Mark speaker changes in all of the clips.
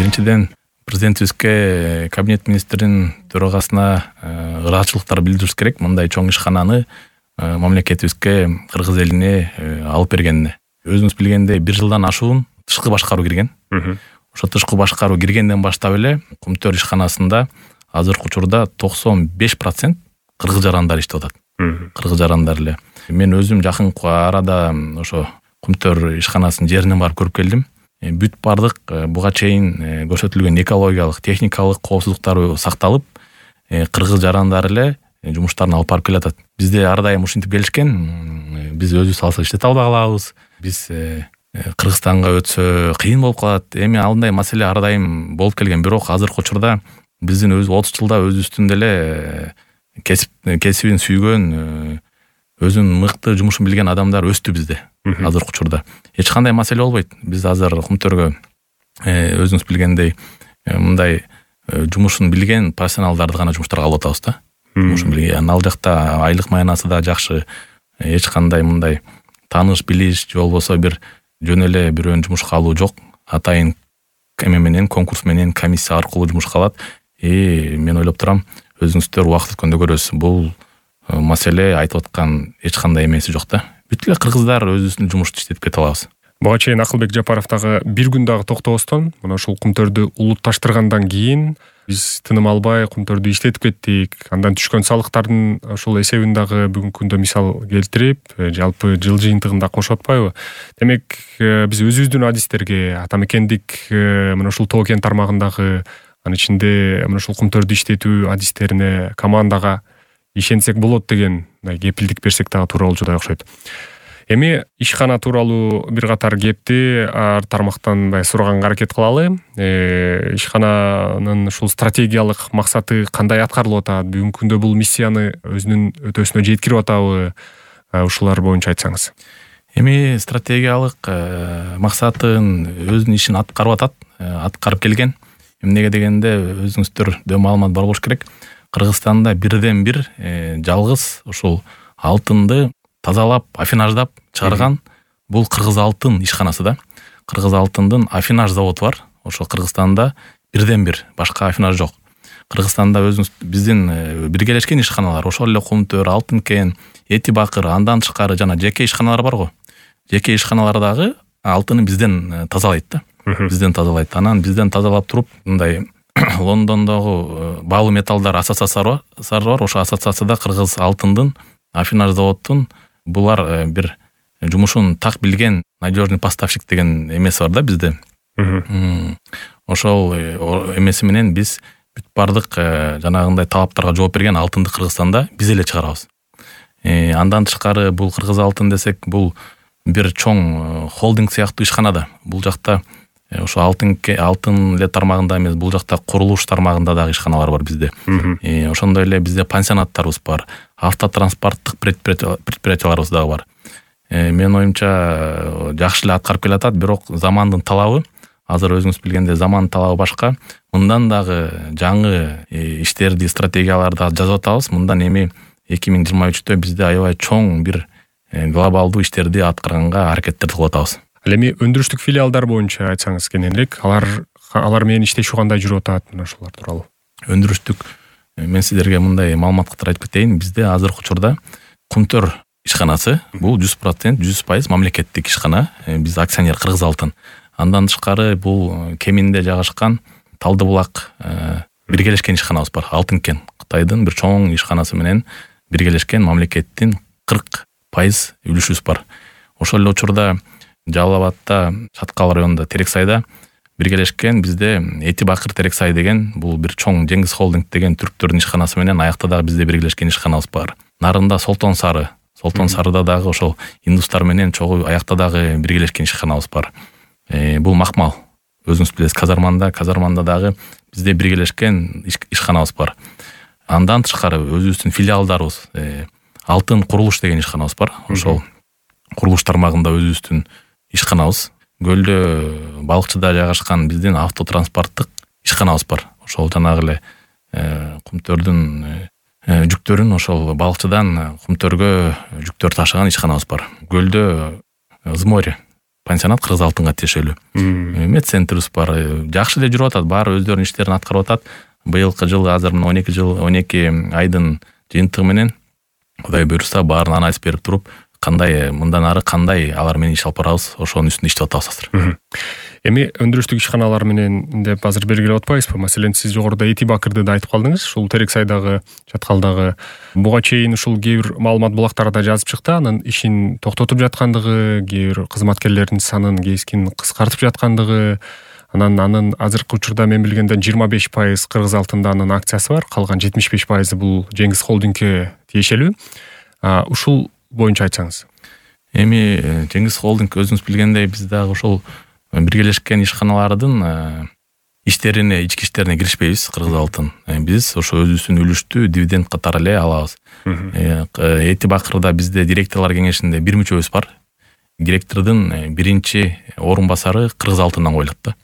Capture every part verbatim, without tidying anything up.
Speaker 1: Биринчиден президентибизге, кабинет министринин төрагасына ыраазычылыктар билдирибиз керек. Мындай чоң ишкананы мамлекетибизге, кыргыз элине алып бергенине. Өзүңүз билгендей, бир жылдан ашуун тышкы башкаруу кирген. Ошо тышкы башкаруу киргенден баштап эле Кумтөр ишканасында азыркы учурда токсон беш процент кыргыз жарандар иштеп атат. Кыргыз жарандар эле. Мен өзүм жакынкы арада ошо Кумтөр ишканасынын жерине барып көрүп келдим. Бүт бардык буга чейин көрсөтүлгөн экологиялык, техникалык коопсуздуктар сакталып, кыргыз жарандар эле жумуштарын алып барып келатат. Бизде ар дайым ушинтип келишкен. Биз өзүбүз алсак иштете албай калабыз. Биз Кыргызстанга өтсө кыйын болуп калат. Эми алындай маселе ар дайым болуп келген. Бирок азыркы учурда биздин өз отуз жылда өзүбүздүн деле кесип кесибин сүйгөн, өзүнүн мыкты жумушун билген адамдар өстү бизде. Азыркы учурда эч кандай маселе болбойт. Биз азыр Кумтөргө өзүңүз билгендей мындай жумушун билген профессионалдарды гана жумуштарга алып атабыз да. Жумушун билген. Ал жакта айлык маянасы да жакшы. Эч кандай мындай тааныш билиш же болбосо бир жөн эле бирөөнү жумушка алуу жок. Атайын эме менен, конкурс менен, комиссия аркылуу жумушка алат. И мен ойлоп турам, өзүңүздөр убакыт өткөндө көрөсүз. Бул маселе айтып аткан эч кандай эмеси жок да. Бүт эле кыргыздар өзүбүздүн жумушту иштетип кете алабыз.
Speaker 2: Буга чейин Акылбек Жапаров дагы бир күн дагы токтобостон мына ушул Кумтөрдү улутташтыргандан кийин биз тыным албай Кумтөрдү иштетип кеттик. Андан түшкөн салыктардын ошол эсебин дагы бүгүнкү күндө мисал келтирип, жалпы жыл жыйынтыгында кошуп атпайбы? Демек, биз өзүбүздүн адистерге, ата мекендик мына ушул тоо кен тармагындагы, анын ичинде мына ушул Кумтөрдү иштетүү адистерине, командага ишенсек болот деген кепилдик берсек дагы туура болчудай окшойт. Эми ишкана тууралуу бир катар кепти ар тармактан мындай сураганга аракет кылалы. Э, ишкананын ушул стратегиялык максаты кандай аткарылып атат? Бүгүнкү күндө бул миссияны өзүнүн өтөөсүнө жеткирип атабы? Ушулар боюнча айтсаңыз.
Speaker 1: Эми стратегиялык максатын өзүнүн ишин аткарып атат, аткарып келген. Эмнеге дегенде өзүңүздөр дөө маалымат бар болуш керек. Кыргызстанда бирден бир жалгыз ушул алтынды тазалап, афинаждап чыгарган бул Кыргыз алтын ишканасы да. Кыргыз алтындын афинаж заводу бар. Ошо Кыргызстанда бирден бир, башка афинаж жок. Кыргызстанда өзүбүз биздин биргелешкен ишканалар, ошол эле Кумтөр, Алтын кен, Эти Бакыр, андан тышкары жана жеке ишканалар бар го. Жеке ишканалардагы алтыны бизден тазалайт да. Бизден тазалайт. Анан бизден тазалап туруп, мындай Лондондогу баалуу металлдар ассоциациясы бар. Ошо ассоциацияда Кыргыз алтындын афинаж заводунун булар бир жумушун так билген надежный поставщик деген эмеси бар да бизде. Ошол эмеси менен биз бүт бардык жанагындай талаптарга жооп берген алтынды Кыргызстанда биз эле чыгарабыз. Андан тышкары бул Кыргыз алтын десек, бул бир чоң холдинг сыяктуу ишкана да. Бул жакта ошо алтын алтын эле тармагында эмес, бул жакта курулуш тармагында дагы ишканалар бар бизде. Ошондой эле бизде пансионаттарыбыз бар, автотранспорттук предприятияларыбыз дагы бар. Менин оюмча жакшы эле аткарып келатат, бирок замандын талабы, азыр өзүңүз билгендей замандын талабы башка. Мындан дагы жаңы иштерди, стратегияларды жазып атабыз. Мындан эми эки миң жыйырма үчтө бизде аябай чоң бир глобалдуу иштерди аткарганга аракеттерди кылып атабыз.
Speaker 2: Ал эми өндүрүштүк филиалдар боюнча айтсаңыз кененирээк, алар алар менен иштешүү кандай жүрүп атат, мына ошолор тууралуу.
Speaker 1: Өндүрүштүк мен сиздерге мындай маалымат катары айтып кетейин. Бизде азыркы учурда Кумтөр ишканасы бул жүз процент, жүз пайыз мамлекеттик ишкана. Биз акционер Кыргыз алтын. Андан тышкары бул Кеминде жайгашкан Талдыбулак биргелешкен ишканабыз бар. Алтын кен. Кытайдын бир чоң ишканасы менен биргелешкен мамлекеттин кырк пайыз үлүшүбүз бар. Ошол эле учурда Жалал Абадта, Чаткал районунда Терексайда биргелешкен бизде Эти Бакыр Терексай деген бул бир чоң Жеңиз холдинг деген түрктөрдүн ишканасы менен аякта дагы бизде биргелешкен ишканабыз бар. Нарында Солтон Сары, Солтон Сарыда дагы ошол индустар менен чогуу аякта дагы биргелешкен ишканабыз бар. Бул Макмал. Өзүңүз билесиз, Казарманда, Казарманда дагы бизде биргелешкен ишканабыз бар. Андан тышкары өзүбүздүн филиалдарыбыз, Алтын курулуш деген ишканабыз бар. Ошол курулуш тармагында өзүбүздүн ишканабыз. Көлдө балыкчыда жайгашкан биздин автотранспорттук ишканабыз бар. Ошол жанагы эле Кумтөрдүн жүктөрүн ошол балыкчыдан Кумтөргө жүктөр ташыган ишканабыз бар. Көлдө Зморе, пансионат кыргыз алтынга тиешелүү. Медцентрибиз бар, жакшы эле жүрүп атат, баары өздөрүнүн иштерин аткарып атат. Быйылкы жыл азыр мына он эки жыл он эки айдын жыйынтыгы менен Кудай буйруса баарын анализ берип туруп, кандай мындан ары кандай алар менен иш алып барабыз, ошонун үстүндө иштеп атабыз азыр.
Speaker 2: Эми өндүрүштүк ишканалар менен деп азыр белгилеп атпайбызбы? Маселен, сиз жогоруда Эти Бакырды да айтып калдыңыз. Ушул Терексайдагы, Чаткалдагы буга чейин ушул кээ бир маалымат булактарда жазып чыкты, анын ишин токтотуп жаткандыгы, кээ бир кызматкерлердин санын кескин кыскартып жаткандыгы, анан анын азыркы учурда мен билгенден жыйырма беш пайыз Кыргыз алтында анын акциясы бар, калган жетимиш беш пайызы бул Жеңиз холдингке тиешелүү. Ушул боюнча айтсаңыз.
Speaker 1: Эми Жеңиз холдинг өзүңүз билгендей биз дагы ошол биргелешкен ишканалардын иштерине, ички иштерине киришпейбиз. Кыргыз алтын биз ошо өзүбүздүн үлүштү дивиденд катары эле алабыз. Эти Бакырда бизде директорлор кеңешинде бир мүчөбүз бар. Директордун биринчи орун басары Кыргыз алтындан коюлат да.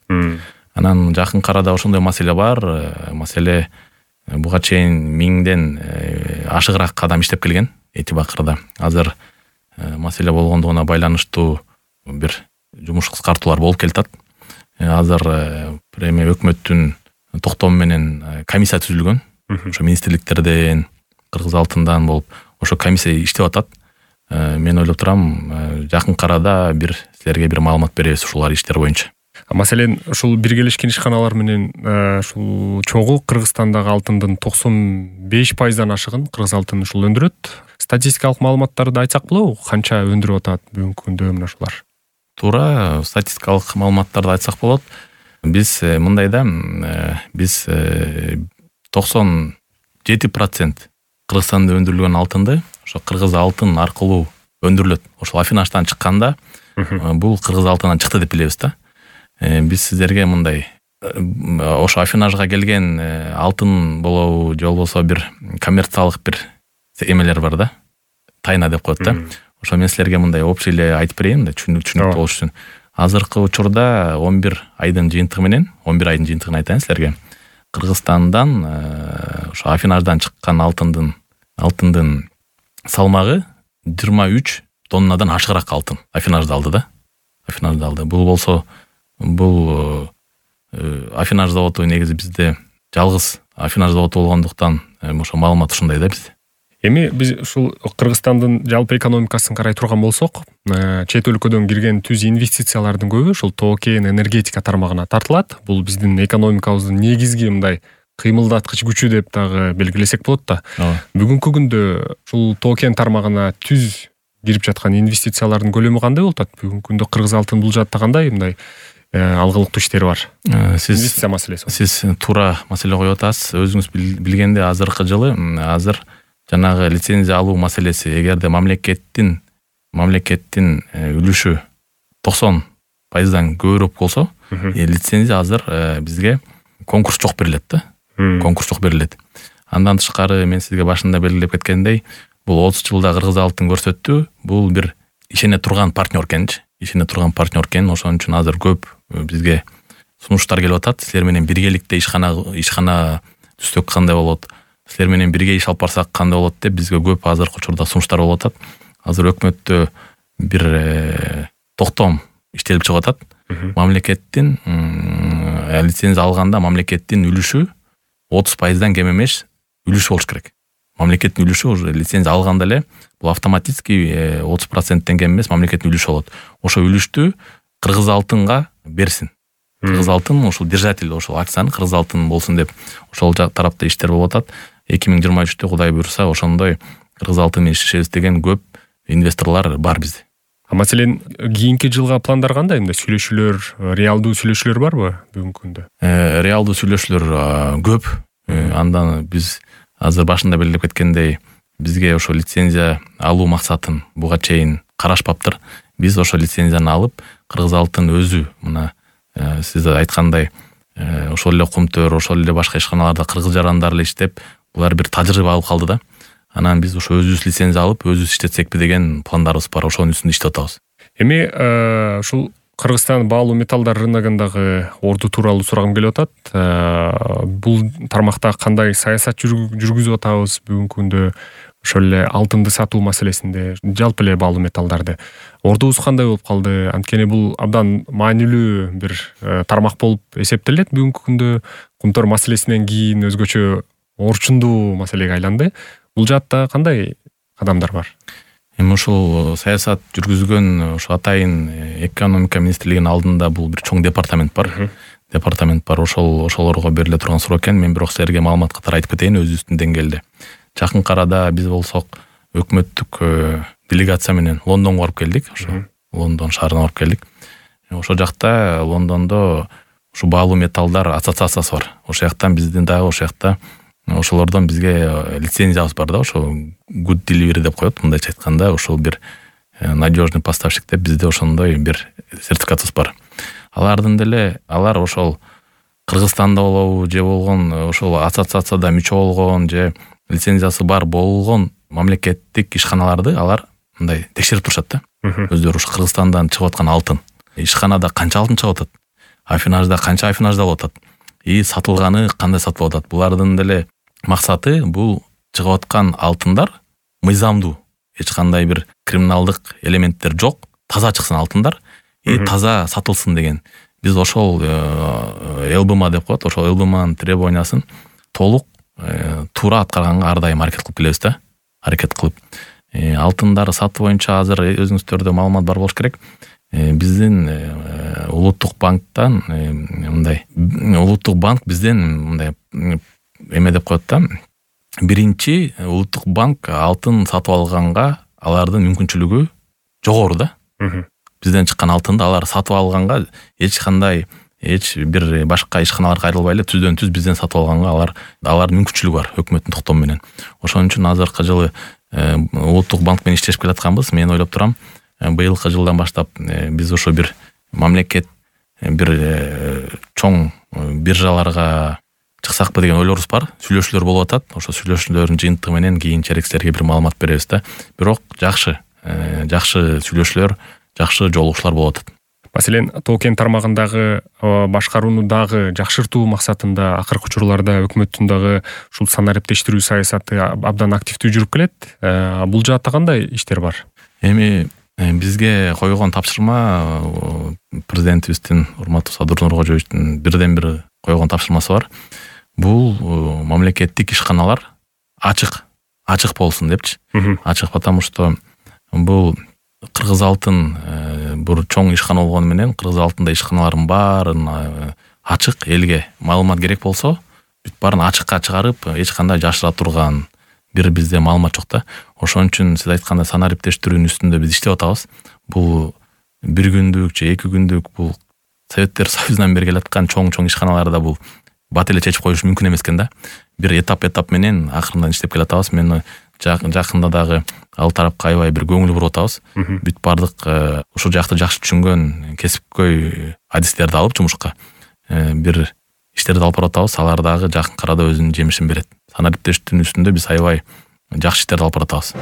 Speaker 1: Анан жакын арада ошондой маселе бар. Маселе буга чейин миңден ашыгыраак адам иштеп келген Эти Бакырда. Азыр маселе болгондугуна байланыштуу бир жумуш кыскартуулар болуп келатат. Азыр эми өкмөттүн токтому менен комиссия түзүлгөн. Ошо министрликтерден, Кыргыз алтындан болуп, ошо комиссия иштеп атат. Мен ойлоп турам, жакын арада бир силерге бир маалымат беребиз ушулар иштер боюнча.
Speaker 2: Маселен, ушул биргелешкен ишканалар менен ушул чогуу Кыргызстандагы алтындын токсон беш пайыздан ашыгын Кыргыз алтын ушул өндүрөт. Статистикалык маалыматтарды айтсак болобу? Канча өндүрүп атат бүгүнкү күндө мына ушулар?
Speaker 1: Туура статистикалык маалыматтарды айтсак болот. Биз мындай да, биз токсон жети процент Кыргызстанда өндүрүлгөн алтынды ошо Кыргыз алтын аркылуу өндүрүлөт. Ошол Афинаштан чыкканда бул Кыргыз алтындан чыкты деп билебиз да. Биз сиздерге мындай ошо Афинажга келген алтын болобу, же болбосо бир коммерциялык бир эмелер бар да. Тайна деп коет да. Ошо мен силерге мындай общий эле айтып берейин да, түшүнүктүү болуш үчүн. Азыркы учурда он бир айдын жыйынтыгы менен, он бир айдын жыйынтыгын айтайын силерге. Кыргызстандан ошо Афинаждан чыккан алтындын алтындын салмагы жыйырма үч тоннадан ашыгыраак алтын Афинажда алды да. Афинажда алды. Бул болсо бул Афинаж заводу негизи бизде жалгыз Афинаж заводу болгондуктан ошо маалымат ушундай да бизде.
Speaker 2: Эми биз ушул Кыргызстандын жалпы экономикасын карай турган болсок, чет өлкөдөн кирген түз инвестициялардын көбү ушул тоо кен энергетика тармагына тартылат. Бул биздин экономикабыздын негизги мындай кыймылдаткыч күчү деп дагы белгилесек болот да. Бүгүнкү күндө ушул тоо кен тармагына түз кирип жаткан инвестициялардын көлөмү кандай болуп атат? Бүгүнкү күндө Кыргыз алтын бул жаатта кандай мындай алгылыктуу иштери бар? Сиз инвестиция маселеси.
Speaker 1: Сиз туура маселе коюп атасыз. Өзүңүз билгенде азыркы жылы азыр жанагы лицензия алуу маселеси, эгерде мамлекеттин мамлекеттин үлүшү токсон пайыздан көбүрөөк болсо, лицензия азыр бизге конкурс жок берилет да. Конкурс жок берилет. Андан тышкары мен сизге башында белгилеп кеткендей, бул отуз жылда Кыргыз алтын көрсөттү. Бул бир ишене турган партнер экенчи. Ишене турган партнер экен. Ошон үчүн азыр көп бизге сунуштар келип атат. Силер менен биргеликте ишкана ишкана түзсөк кандай болот? Силер менен бирге иш алып барсак кандай болот деп бизге көп азыркы учурда сунуштар болуп атат. Азыр өкмөттө бир токтом иштелип чыгып атат. Мамлекеттин лицензия алганда мамлекеттин үлүшү отуз пайыздан кем эмес үлүшү болуш керек. Мамлекеттин үлүшү уже лицензия алганда эле бул автоматически отуз проценттен кем эмес мамлекеттин үлүшү болот. Ошо үлүштү Кыргыз алтынга берсин. Кыргыз алтын ошол держатель, ошол акцияны Кыргыз алтын болсун деп ошол тарапта иштер болуп атат. эки миң жыйырма үчтө Кудай буйруса ошондой Кыргыз алтын менен иштешебиз деген көп инвесторлор бар бизде.
Speaker 2: А маселен, кийинки жылга пландар кандай? Мындай сүйлөшүүлөр, реалдуу сүйлөшүүлөр барбы бүгүнкү күндө?
Speaker 1: Э, реалдуу сүйлөшүүлөр көп. Андан биз азыр башында белгилеп кеткендей, бизге ошо лицензия алуу максатын буга чейин карашпаптыр. Биз ошо лицензияны алып, Кыргыз алтын өзү мына сиз айткандай ошол эле Кумтөр, ошол эле башка ишканаларда кыргыз жарандар эле иштеп, булар бир тажрыйба алып калды да. Анан биз ошо өзүбүз лицензия алып, өзүбүз иштетсекпи деген пландарыбыз бар. Ошонун үстүндө иштеп атабыз.
Speaker 2: Эми ушул Кыргызстан баалуу металлдар рыногундагы орду тууралуу сурагым келип атат. Бул тармакта кандай саясат жүргүзүп атабыз бүгүнкү күндө? ошол эле алтынды сатуу маселесинде, жалпы эле баалуу металлдарды ордубуз кандай болуп калды? Анткени бул абдан маанилүү бир тармак болуп эсептелет бүгүнкү күндө. Кумтөр маселесинен кийин өзгөчө орчундуу маселеге айланды. Бул жаатта кандай кадамдар бар?
Speaker 1: Эми ушул саясат жүргүзгөн ошо атайын экономика министрлигинин алдында бул бир чоң департамент бар. Департамент бар. Ошол ошолорго бериле турган суроо экен. Мен бирок силерге маалымат катары айтып кетейин өзүбүздүн деңгээлде. Жакынкы арада биз болсок өкмөттүк делегация менен Лондонго барып келдик. Ошо Лондон шаарына барып келдик. Ошол жакта Лондондо ушу баалуу металлдар ассоциациясы бар. Ошол жактан биздин дагы ошол жакта ошолордон бизге лицензиябыз бар да, ошо good delivery деп коет. Мындайча айтканда, ошол бир надежный поставщик деп бизде ошондой бир сертификатыбыз бар. Алардын деле алар ошол Кыргызстанда болобу же болгон ошол ассоциацияда мүчө болгон же лицензиясы бар болгон мамлекеттик ишканаларды алар мындай текшерип турушат да. Өздөрү ушу Кыргызстандан чыгып аткан алтын, ишканада канча алтын чыгып атат, афинажда канча афинажда болуп атат, и сатылганы кандай сатылып атат. Булардын деле максаты бул чыгып аткан алтындар мыйзамдуу, эч кандай бир криминалдык элементтер жок, таза чыксын алтындар и таза сатылсын деген. Биз ошол эл бэ эм а деп коет, ошол эл бэ эм анын требованиясын толук туура аткарганга ар дайым аракет кылып келебиз да. Аракет кылып алтындарды сатуу боюнча азыр өзүңүздөрдө маалымат бар болуш керек. Биздин улуттук банктан мындай улуттук банк бизден мындай эме деп коет да. Биринчи улуттук банк алтын сатып алганга алардын мүмкүнчүлүгү жогору да. Бизден чыккан алтынды алар сатып алганга эч кандай эч бир башка ишканаларга кайрылбай эле түздөн түз бизден сатып алганга алар алардын мүмкүнчүлүгү бар өкмөттүн токтому менен. Ошон үчүн азыркы жылы улуттук банк менен иштешип келатканбыз. Мен ойлоп турам, быйылкы жылдан баштап биз ошо бир мамлекет бир чоң биржаларга чыксакпы деген ойлорубуз бар. Сүйлөшүүлөр болуп атат. Ошо сүйлөшүүлөрдүн жыйынтыгы менен кийинчерээк силерге бир маалымат беребиз да. Бирок жакшы, жакшы сүйлөшүүлөр, жакшы жолугушуулар болуп атат.
Speaker 2: Маселен, токен тармагындагы башкарууну дагы жакшыртуу максатында акыркы учурларда өкмөттүн дагы ушул санариптештирүү саясаты абдан активдүү жүрүп келет. Бул жаатта кандай иштер бар?
Speaker 1: Эми бизге койгон тапшырма президентибиздин урматтуу Садыр Нуркожоевичтин бирден бир койгон тапшырмасы бар. Бул мамлекеттик ишканалар ачык, ачык болсун депчи. Ачык, потому что бул Кыргыз алтын бир чоң ишкана болгону менен Кыргыз алтында ишканалардын баарын ачык элге маалымат керек болсо, бүт баарын ачыкка чыгарып, эч кандай жашыра турган бир бизде маалымат жок да. Ошон үчүн сиз айткандай санариптештирүүнүн үстүндө биз иштеп атабыз. Бул бир күндүк же эки күндүк бул Советтер Союзунан бери келаткан чоң-чоң ишканаларда бул бат эле чечип коюш мүмкүн эмес экен да. Бир этап-этап менен акырындан иштеп келатабыз. Мен жакында дагы ал тарапка аябай бир көңүл буруп атабыз. Бүт бардык ушул жакты жакшы түшүнгөн кесипкөй адистерди алып жумушка бир иштерди алып барып атабыз. Алар дагы жакынкы арада өзүнүн жемишин берет. Санариптештирүүнүн үстүндө биз аябай жакшы иштерди алып барып атабыз.